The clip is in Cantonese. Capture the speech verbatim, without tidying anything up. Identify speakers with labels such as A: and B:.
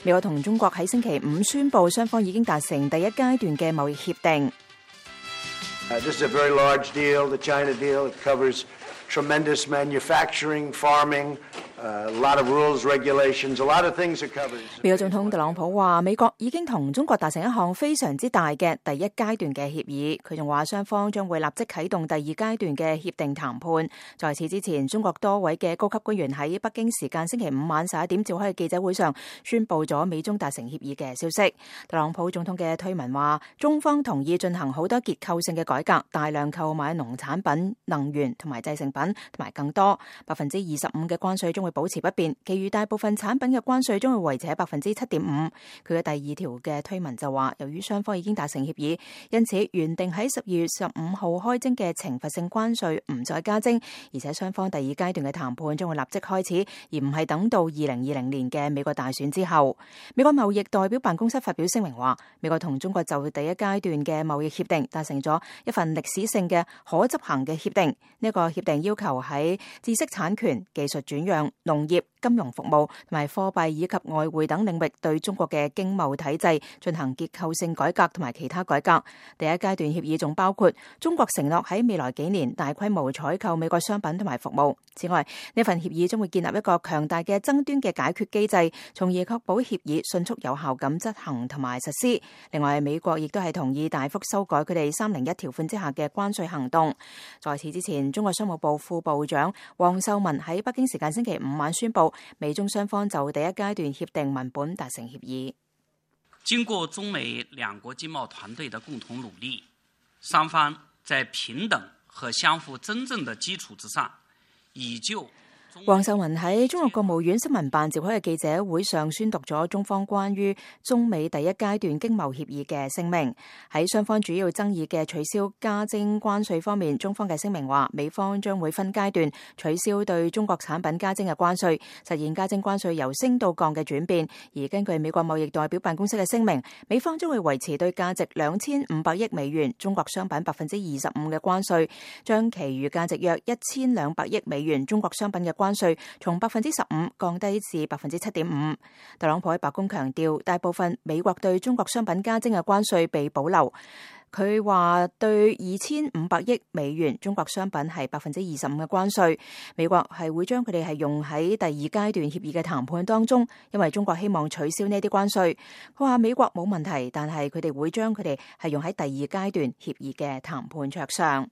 A: 美國同中國喺星期五宣布，雙方已經達成第一階段嘅貿易協定。
B: Uh, this is a very large deal, the China deal. It covers tremendous manufacturing, farming, uh, a lot of rules, regulations, a lot of things are covered.
A: 美國總統特朗普話，美國已經同中國達成一項非常之大嘅第一階段嘅協議。佢仲話，雙方將會立即啟動第二階段嘅協定談判。在此之前，中國多位嘅高級官員喺北京時間星期五晚十一點召開嘅記者會上，宣布咗美中達成協議嘅消息。特朗普總統嘅推文話，中方同意進行好多結構性嘅改革，大量購買農產品、能源同埋製成品，同埋更多百分之二十五嘅關稅將會保持不變，其餘大部分產品嘅關稅將會維持喺百分之七點五。佢嘅第二條嘅推文就話，由於雙方已經達成協議，因此原定喺十二月十五號開徵嘅懲罰性關稅唔再加徵，而且雙方第二階段嘅談判將會立即開始，而唔係等到二零二零年嘅美國大選之後。美國貿易代表辦公室發表聲明話，美國同中國就第一階段嘅貿易協定達成咗一份歷史性嘅可執行嘅協定。呢、這個協定要求喺知識產權、技術轉讓、農業、金融服務同埋貨幣以及外匯等領域對中國嘅經貿體制進行結構性改革同埋其他改革。第一階段協議仲包括中國承諾喺未來幾年大規模採購美國商品同埋服務。此外，呢份協議將會建立一個強大嘅爭端嘅解決機制，從而確保協議迅速有效咁執行同埋實施。另外，美國亦都係同意大幅修改佢哋三零一條款之下嘅關稅行動。在此之前，中國商務部副部長王秀文喺北京時間星期五晚宣布，美中雙方就第一階段協定文本達成協議。
C: 經過中美兩國經貿團隊的共同努力，雙方在平等和相互尊重的基礎之上，已就
A: 王秀文喺中國國務院新聞辦召開嘅記者會上宣讀咗中方關於中美第一階段經貿協議嘅聲明。喺雙方主要爭議嘅取消加徵關稅方面，中方嘅聲明話，美方將會分階段取消對中國產品加徵嘅關稅，實現加徵關稅由升到降嘅轉變。而根據美國貿易代表辦公室嘅聲明，美方將會維持對價值兩千五百億美元中國商品百分之二十五嘅關稅，將其餘價值約一千兩百億美元中國商品嘅關稅從百分之十五降低至百分之七點五。特朗普喺白宮強調，大部分美國對中國商品加徵嘅關稅被保留。佢話對二千五百億美元中國商品係百分之二十五嘅關稅，美國係會將佢哋係用喺第二階段協議嘅談判當中，因為中國希望取消呢啲關稅。佢話美國冇問題，但係佢哋會將佢哋係用喺第二階段協議嘅談判桌上。